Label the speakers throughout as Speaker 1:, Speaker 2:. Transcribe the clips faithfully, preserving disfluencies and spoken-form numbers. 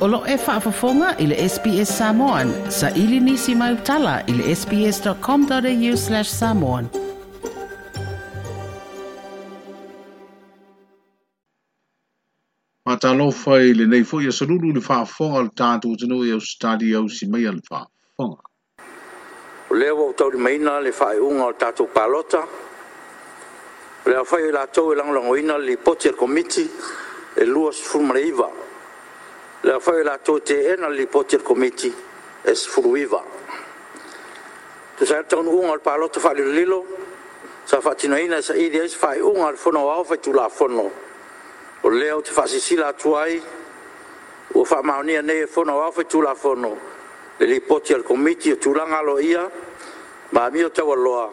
Speaker 1: O lo e faafofoga i le S B S Samoan. Sa ili nisi mai utala i le sbs.com.au slash samoan.
Speaker 2: Matalofa i lenei foi asolulu le faafofoga o le tatou atunuu i Ausetalia au si mai a le faafofoga.
Speaker 3: O lea ua ou taulimaina le faaiuga o le tatou palota. O le aofai o i latou e lagolagoina le lipoti a le Komiti e luasefulu ma le iva. Le aofai o i latou e teena le lipoti a le Komiti e sefuluiva. Tusa ai le taunuuga o le palota faalilolilo sa faatinoina e saili ai se faaiuga a le Fono Aoao Faitulafono, o lea ou te faasilasila atu ai ua faamaonia nei e le Fono Aoao Faitulafono le Lipoti a le Komiti o Tulaga Aloaia ma Amio Taualoa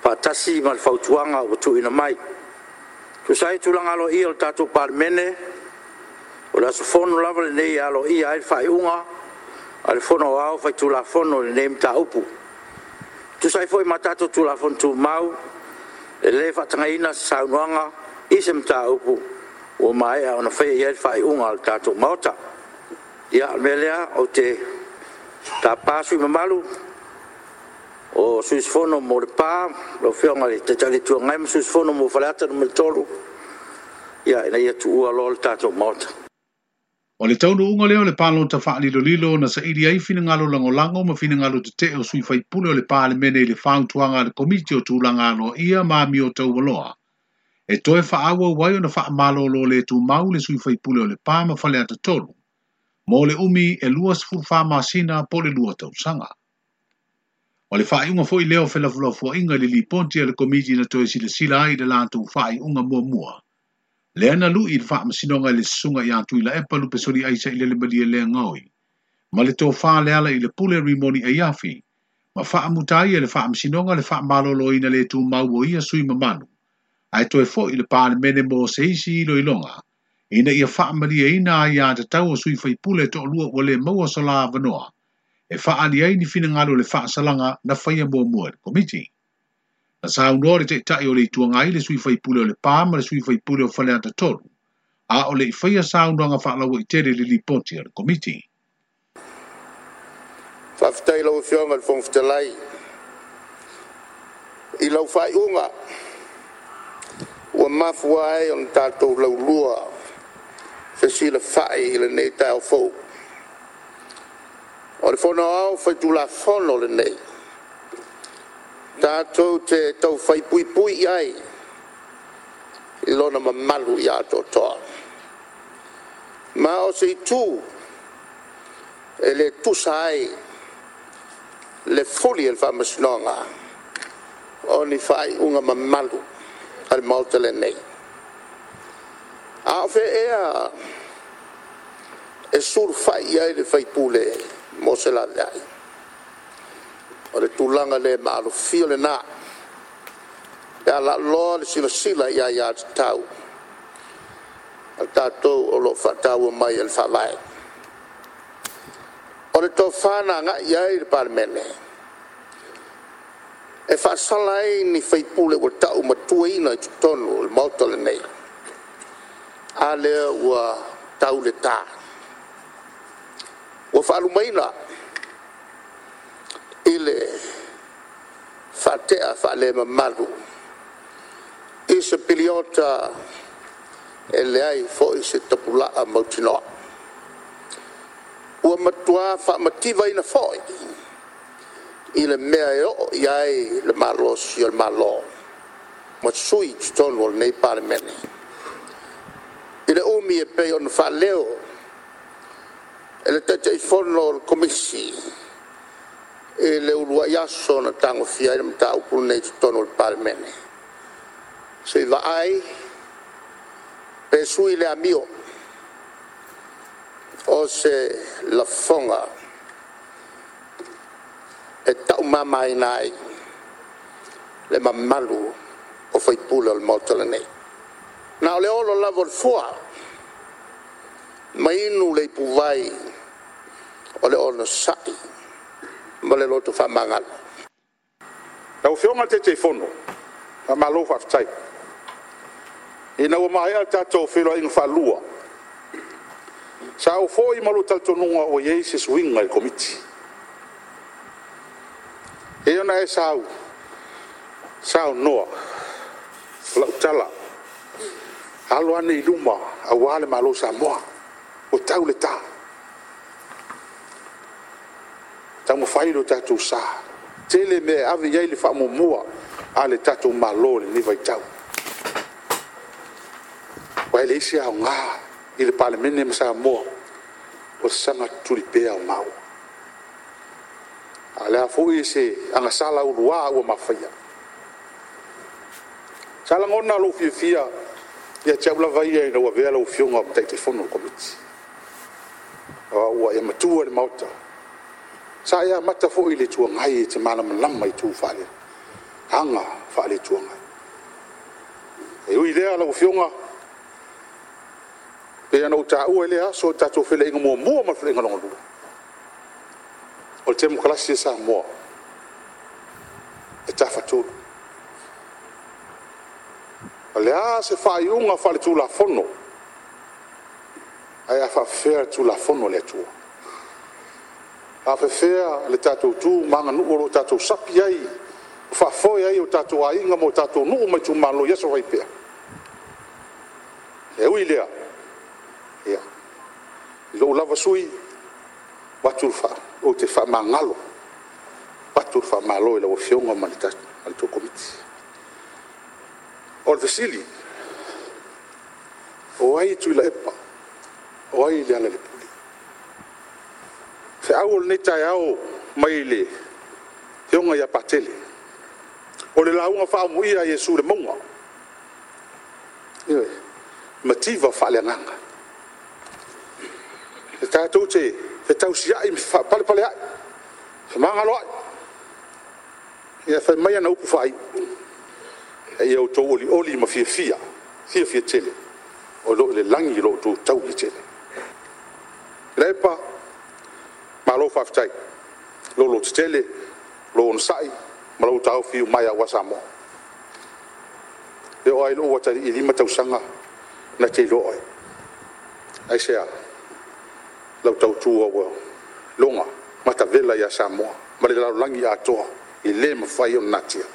Speaker 3: faatasi ma le Fautuaga ua tuuina mai. E tusa ai o tulaga aloaia o le tatou Palemene, o le aso fono lava lenei e aloaia ai le faaiuga a le Fono Aoao Faitulafono i lenei mataupu. E tusa ai foi ma tatou Tulafono Tumau, e le faatagaina se saunoaga i se mataupu ua maea ona faia i ai le faaiuga a le tatou Maota. Ia, o le mea lea ou te tapa sui usufono mamalu o sui usufono mo Lepa, lau Afioga i le Taitai o le Itu Agai ma le sui usufono mo Faleata Nu.3, ina ia tuua loa le tatou Maota.
Speaker 2: O le taunuuga lea o le palota faalilolilo na saili ai finagalo lagolago ma finagalo tetee o sui faipule o le Palemene i le fautuaga a le Komiti o Tulaga Aloaia ma Amio Taualoa. E toe faaauau ai ona faamalolo le tumau le sui faipule o Lepa ma Faleata tolu, mo le umi e luasefulufa masina po o le lua tausaga. O le faaiuga foi lea o felafolafoaiga i le lipoti a le Komiti na toe silasila ai i le latou faaiuga muamua. Lea na lui i le faamasinoga i le susuga ia Tuilaepa Lupesoli Aisa i le Malie lea gaoi, ma le tofā le ala i le pule Rimoni Aiafi, ma faamuta ai e le faamasinoga le faamaloloina le tumau o ia sui mamalu, ae toe foi i le Palemene mo se isi iloiloga, ina ia faamalieina ai ia tatau o sui faipule toalua ua le maua so la avanoa, e faaali ai ni finagalo le faasalaga na faia muamua e le Komiti. Na saunoa le taitai o le Itu Agai le sui faipule o Lepa ma le sui faipule o Faleata tolu, a o le i faia saunoaga faalauaitele i le lipoti a le Komiti.
Speaker 4: Faafetai i lau Afioga i le Fofoga Fetalai i lau faaiuga ua mafua ai ona tatou laulua fesilafai i lenei taeao fou. O le Fono Aoao Faitulafono lenei, tatou te taufai puipui i ai i lona mamalu ia atoatoa. Ma o se itu e le tusa ai le fuli e le Faamasinoga o ni faaiuga mamalu a le Maota lenei. A o fea ea e sulufai i ai le faipule mo se laveai? O le tulaga le maalofia lena pe a laaloa le silasila i aiatatau a tatou o lo o faataua mai e le Faavae. O le tofa na agai i ai le Palemene e faasala ai ni faipule ua taumatuaina i totonu o le Maota lenei, a lea ua tau le ta, ua faalumaina i le faatea faalemamalu i se piliota e leai foi se tapulaa mautinoa. Ua matua faamativaina foi i le mea e oo i ai le malosi o le Malo ma sui i totonu o lenei Palemene, i le umi e pei ona faaleo e le Taitaifono o le Komisi i le uluai aso na tagofia ai le mataupu lenei i totonu o le Palemene, se i vaai pe sui le amio o se lafoga e taumamaina ai le mamalu o faipule o le Maota lenei. Na o le olo lava o le fua ma inu le ipuvai o le onosai ma le loto faamagalo.
Speaker 5: Lau Afioga i le Taitaifono, faamalo faafetai. Ina ua maea le tatou feiloaiga faalua, Sa ou foi ma lou talitonuga ua i ai se suiga i le Komiti. E ona e sau, saunoa, lau tala, alo ane i luma auā le Malo o Samoa, ua tau le tā. Taumafai lo tatou sa, tele mea e ave i ai le faamuamua a le tatou Malo i lenei vaitau. Ua e leai se aoga i le Palemene ma Samoa, o le saga tutuli pea o maua. A o le a foi se agasala ulua ua mafaia. Sa lagona lou fiafia ia te au lava ia ina ua avea lau Afioga ma Taitaifono o le Komiti. Ua e matua i le Maota. Sa e amata foi i le Itu Agai e te malamalama i tu faale, aga faale Itu Agai. E ui i lea lau Afioga, pei ona ou taua i lea aso i le tatou feiloaiga muamua ma le feiloaiga lona lua, o le temokalasi a Samoa e tafatolu. O le a se faaiuga faaletulafono, ae a faafefea le Tulafono a le Atua? A faafefea le tatou tu ma aganuu o lo o tatou sapi ai, faafoe ai o tatou aiga ma o tatou nuu ma itumalo i aso fai pea? E ui i lea, ia, i lou lava sui usufono, ou te faamagalo, avatu le faamalo i lau Afioga ma le tou Komiti. O le fesili, o ai Tuilaepa? O ai Lealailepule? Feau o lenei taeao mai le Afioga ia Patele, o le lauga faaamuia a Iesu i le mauga, ioe, mativa faaleagaga. E tatou te fetausiai ma faapalepaleai, femagaloai. Ia fai mai ana upu faaiu, a ia outou olioli ma fiafia, fiafia tele, o lo o i le lagi lo outou tauli tele. Tuilaepa, malo faafetai, lou lototele, lou onosai, ma lou taofi iumaea aua Samoa. E oo lava i lou atalii e lima tausaga na te iloa oe. Aisea? Lau tautua ua iloga matavela ia Samoa ma le lalolagi atoa, e le mafai ona natia.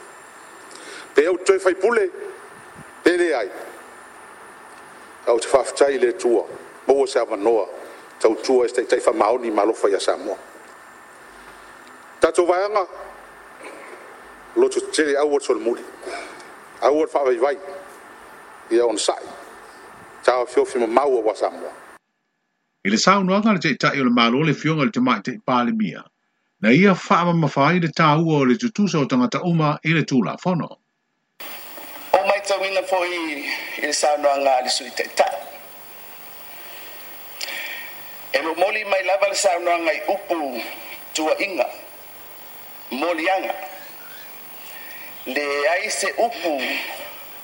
Speaker 5: Pe ou te toe faipule, pe leai, ae ou te faafetai i le Atua, maua se avanoa tautua i se taitai faamaoni ma alofa ia Samoa. Tatou vaega, loto tetele aua le solomuli, aua le faavaivai, ia onosai, taofiofi mamau aua Samoa.
Speaker 2: I le saunoaga a le Taitai o le Malo le Afioga i le Tamaitai Palemia, na ia faamamafa ai le taua o le tutusa o tagata uma i le Tulafono.
Speaker 6: O maitauina foi i le saunoaga a le Sui Taitai. E momoli mai lava le saunoaga i upu tuuaiga, moliaga. Leai se upu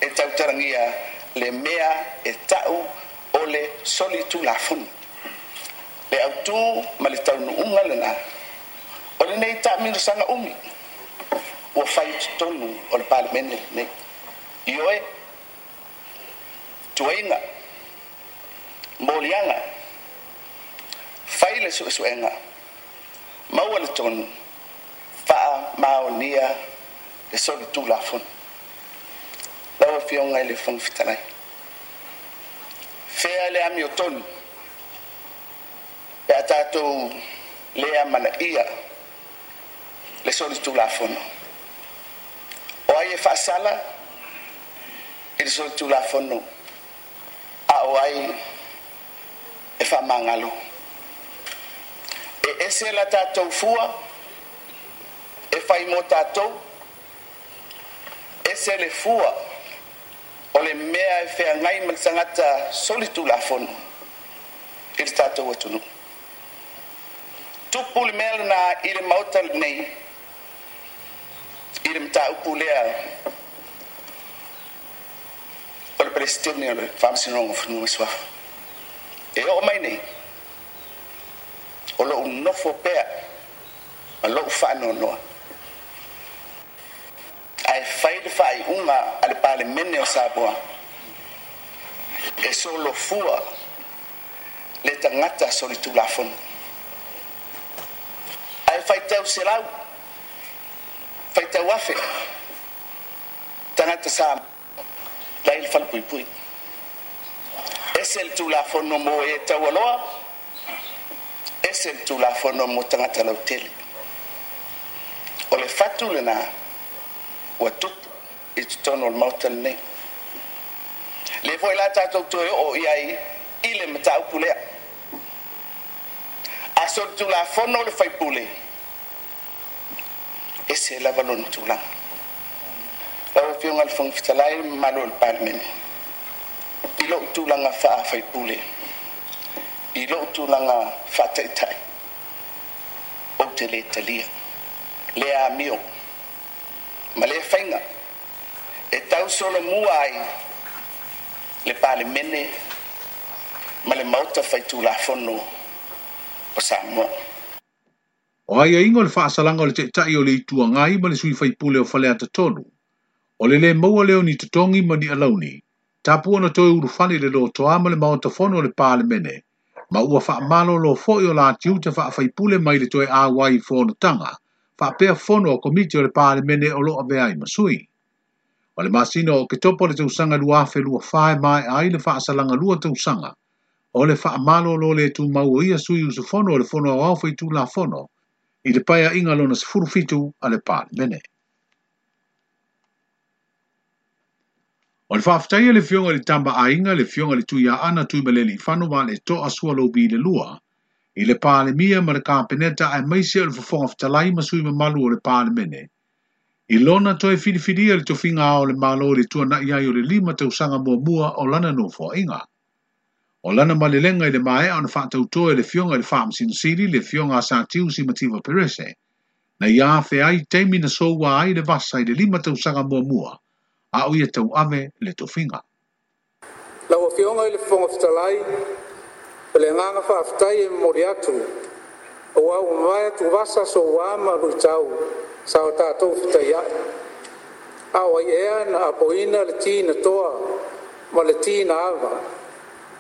Speaker 6: e tautalagia le mea e tau o le solitulafono. Le autū ma le taunuuga lena o lenei taamilosaga umi ua fai i totonu o le Palemene lenei. Ioe, tuuaiga, moliaga, fai le suesuega, maua le tonu, faamaonia le solitulafono. Lau Afioga i le Fofoga Fetalai, fea le amiotonu pe a tatou le amanaia le solitulafono. O ai e faasala i le solitulafono, a o ai e faamagalo. E ese la tatou fua e fai mo tatou, ese le fua o le mea e feagai ma le tagata solitulafono i le tatou atunuu. Tupu le mea lena i le Maota lenei, i le mataupu lea o le Peresetene o le Faamasinoga o Fanua ma Suafa. E oo mai nei, o lou nofo pea ma lou faanoanoa. Ae fai le faaiuga a le Palemene o Samoa e solofua Le tagata solitulafono ae faitau selau faitau afe tagata sa la i le falepuipui ese le tulafono mo e taualoa ese le tulafono mo tagata lautele o le fatu lena ua tupu i totonu o le maota lenei le foi la tatou toe oo i ai i le mataupu lea a solitulafono le faipule ese lava lona tulaga. Lau Afioga i le Fofoga Fetalai ma mamalu o le Palemene, i lou tulaga faafaipule, i lou tulaga faataitai, ou te le talia le amio ma le faiga e tausolomua ai le Palemene ma le Maota Faitulafono o Samoa.
Speaker 2: O aiaiga o le faasalaga o le taitai o le Itu Agai ma le sui faipule o Faleata tolu, o le lē maua lea o ni totogi ma ni alauni, tapu ona toe ulufale i le lotoa ma le maota fono o le Palemene, ma ua faamalolo foi o la tiute faafaipule mai le toe auai i fonotaga, faapea fono a komiti o le Palemene o lo o avea ai ma sui. O le masina o Oketopa o le tausaga lua afe lua fa e maea ai le faasalaga lua tausaga, o le faamalolo le tumau o ia sui usufono o le Fono Aoao Faitulafono i le paeaiga lona sefulu fitu a le Palemene. O le faafetai a le Afioga i le Tama Aiga, le Afioga i le Tuiaana Tuimalealiifano Vaaletoa Sualauvi le lua, i le Palemia ma le Kapeneta aemaise o le Fofoga Fetalai ma sui mamalu o le Palemene. I lona toe filifilia le tofiga ao o le Malo i le tuanai ai o le lima tausaga muamua o lana nofoaiga. O lana malelega i le maea ona faatautoa e le Afioga i le Faamasino Sili, le Afioga a Satiusi Mativa Perese, na ia afe ai taimi na soua ai le vasa i le lima tausaga muamua, a o ia tauave le tofiga.
Speaker 7: Lau Afioga i le Fofoga Fetalai, o le agaga faafetai e momoli atu, aua ua mavae atuvasa soua ma luitau sa o tatou fetaiai. A o ai ea na apoina le ti na toa ma le ti na ava,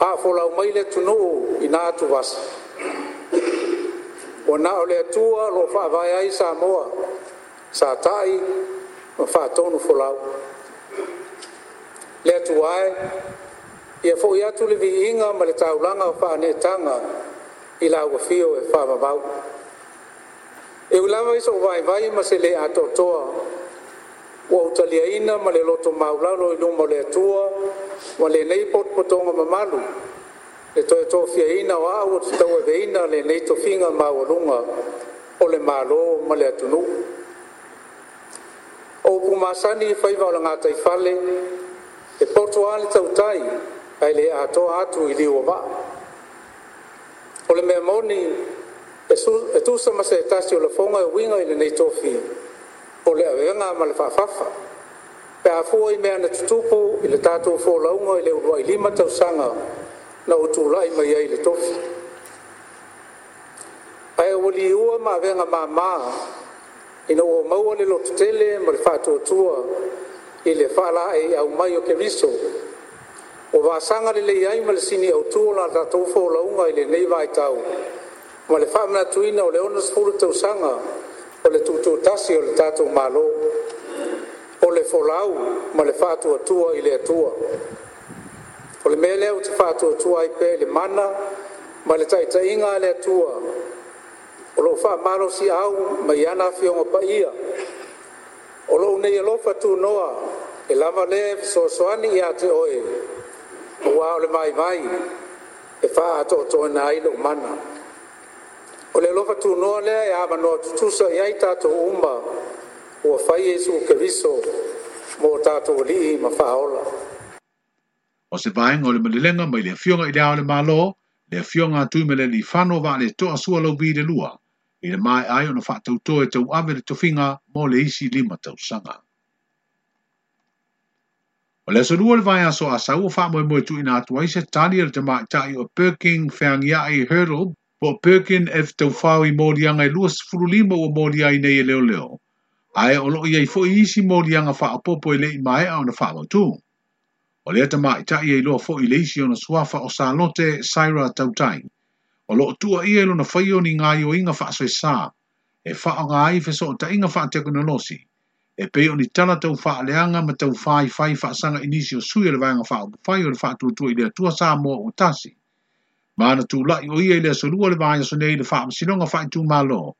Speaker 7: a folau mai le atunuu i na atuvasa. Ua na o le Atua o lo o faavae ai Samoa, sa ta'i ma faatonu folau. Le Atua e, ia fo'i atu le viiga ma le taulaga o faaneetaga i lau afio e faavavau. E ui lava i sou vaivai ma se lē atoatoa, ua ou taliaina ma le loto maulalo i luma o le Atua ma lenei potopotoga mamalu le toe tofiaina o au o te tauaveina lenei tofiga maualuga o le Malo ma le atunuu. O upu masani i faiva o le gataifale, e poto lava le tautai ae le atoa atu i liu o vaa. O le mea moni, e tusa ma se tasi o lafoga e uiga i lenei tofi, o le avega ma le faafafa, pe a fua i mea na tutupu i le tatou folauga i le uluai lima tausaga na ou tulai mai ai i le tofi. Ae ua liua ma avega māmā ina ua maua le lototele ma le faatuatua i le faalaeiau mai o Keriso, ua vasaga lelei ai ma le sini autu o la tatou folauga i lenei vaitau ma le faamanatuina o le onosefulu tausaga o le tutoatasi o le tatou Malo, o le folau ma le faatuatua i le Atua. O le mea lea ou te faatuatua ai pea i le mana ma le taitaiga a le Atua o loo faamalosiau mai ana Afioga Paia. O lou nei alofa tunoa e lava lea e fesoasoani ia te oe, aua o le vaivai e faaatoatoaina ai lou mana. O le alofa tunoa lea e avanoa tutusa i ai tatou uma ua fai Iesu Keriso mo tatou alii ma faaola.
Speaker 2: O se vaega o le malelega mai le Afioga i le Ao o le Malo, le Afioga a Tuimalealiifano Vaaletoa Sualauvi le lua, i le maea ai ona faatautoa e tauave le tofiga mo le isi lima tausaga. O le aso lua o le vaiaso Asau ua faamoemoe tuuina atu ai se tali a le tamaitai o Perking Feagiai Hurdle po o Perkin F Taufao i moliaga e luasefulu lima ua molia ai nei e leoleo, ae o loo i ai foi isi moliaga faaopoopo e le i maea ona faamautu. O lea tamaitai e iloa foi i le isi ona suafa o Salote Saira Tautai. O loo tuuaia i lona faia o ni gaoioiga faasoesa e faaaoga ai fesootaiga faatekonolosi e pei o ni tala taufaaleaga ma taufaifai faasaga i nisi o sui o le Vaega Faaupufai o le Faatuatua i le Atua Samoa ua tasi. Ma na tulai o ia i le aso lua o le vaiaso nei i le faamasinoga faaitumalo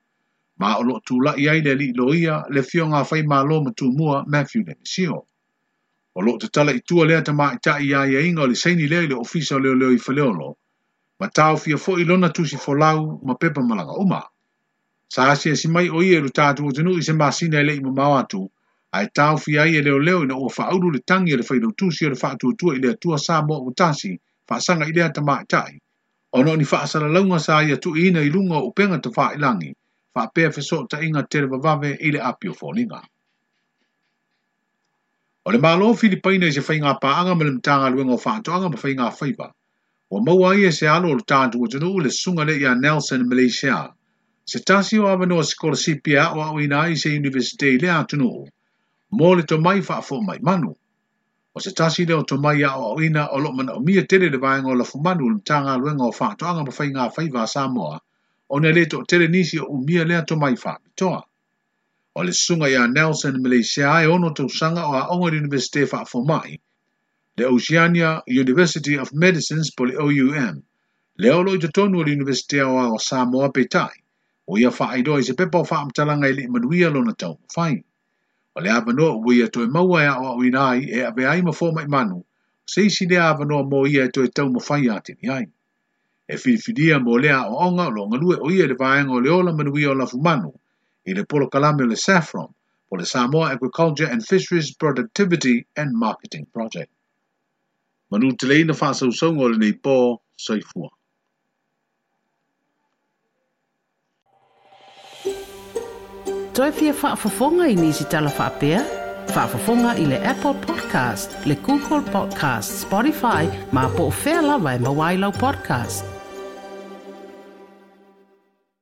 Speaker 2: ma o loo tulai ai le alii loia le afioga a Faimalo ma Tumua Matthew Lemisio. O loo tatala i tua lea tamaitai i aiaiga o le saini lea i le ofisa o leoleo i Faleolo ma taofia foi lona tusi folau ma pepa malaga uma. Sa asiasi mai o ia i lo tatou atunuu i se masina e le i mamao atu ae taofia ai e leoleo ina ua faaulu le tagi a le failautusi o le Faatuatua i le Atua Samoa ua tasi faasaga i lea tamaitai ona o ni faasalalauga sa ia tuuina i luga o upega tafailagi faapea fesootaiga televavave i le api o foliga. O le Malo Filipaina i se faiga paaga ma le Matagaluega o Faatoaga ma Faiga Faiva ua maua ai e se alo o le tatou atunuu le susuga lea ia Nelson Malaysia se tasi o avanoa sikolasipi e aoaoina ai se Iunivesite i lea atunuu mo le tomai faafomai manu. O se tasi lea o tomai aoaoina o loo manaomia tele le vaega o lafumanu o le Matagaluega o Faatoaga ma Faiga Faiva a Samoa ona e le toatele nisi o umia lea tomai faapitoa. O le susuga ia Nelson Malaysia e ono tausaga o aoga i le Iunivesite faafomai le Oceania University of Medicines po le O U M lea o loo i totonu o le Iunivesite Aoao o Samoa peitai ua ia faailoa i se pepa o faamatalaga e le i manuia lona taumafai. O le avanoa ua ia toe maua e aoaoina ai e avea ai ma fomai manu se isi lea avanoa mo ia e toe taumafai atili ai. E filifilia mo lea aoaoga o loo galue o ia i le vaega o le ola manuia o lafumanu i le polokalame o le SAFPROM po le Samoa Agriculture and Fisheries Productivity and Marketing Project. Manu teleina faasausauga o lenei po, soifua.
Speaker 1: Toe fia faafofoga i nisi tala faapea? Faafofoga i le Apple Podcast, le Google Podcast, Spotify, ma po o fea lava e maua ai lau podcast.